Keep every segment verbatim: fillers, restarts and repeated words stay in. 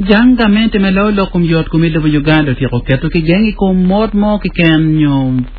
Jang gamente me loyo lok kom yot kom i lobo Uganda otyeko keto kigeng i kom mot mo keken nyo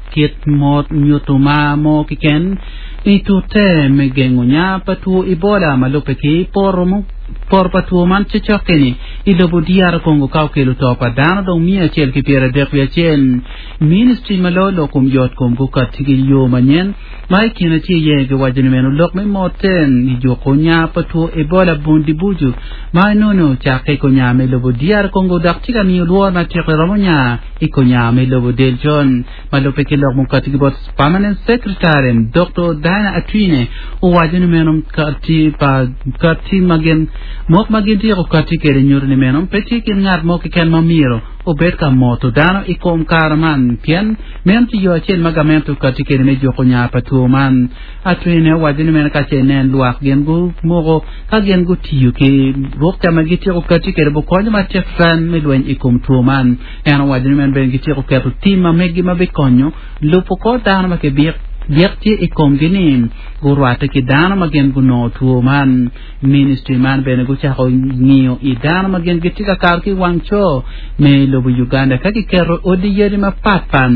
kit mot nyuto ma mo keken i tute me gengo nya pa two Ebola ma lubbe ki poto mo poto pa two man cokcok-ki-ni i lobo D R Congo ka okelo to pa dano dong miya acel ki pyera adek wiye acel. Ministry ma loyo lok kom yot kom gukatti ki yo manyen ma i kine tye iye giwaco ni meno lok me motte i juko nya pa two Ebola Bundibugyo ma enono ocakke i konya me lobo D R Congo dok tye ka miyo lworo matek romo nya i konya me lobo del con ma lubbe ki lok mukatti ki bot Permanent Secretary Doctor Diana Atwine owaco ni meno kati pa kati ma gin mok ma gin tyeko kati kede nyuto ni meno pe tye kin ngat mo keken ma myero obed ka moto dano i kom kare man pien meno tye yo acel ma gamente okati kede me juko nya pa two man. Atwine owaco ni meno ka ce nen lwak gin gumoko ka gin gutiyo ki rukca ma gityeko kati kede bukonyo matek san me lweny i kom two man. En owaco ni meno bene gityeko keto tim ma megi ma bikonyo lubo kor dano ma kibik byek tye i komgi ni gurwatte ki dano ma gin gunongo two man. Ministry man bene gucako ng'iyo i dano ma gin gitye ka kato ki wang co me lobo Uganda ka giketo odi yadi mapatpat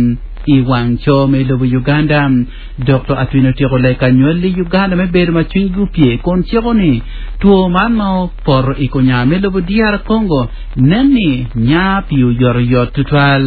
i wang co me lobo Uganda. Doctor Atwine otyeko leka nywal i Uganda me bedo ma cwinygi opye kun ciko ni two man ma opoto i konya me lobo D R Congo nen ni nya pi oyotoyot tutwal.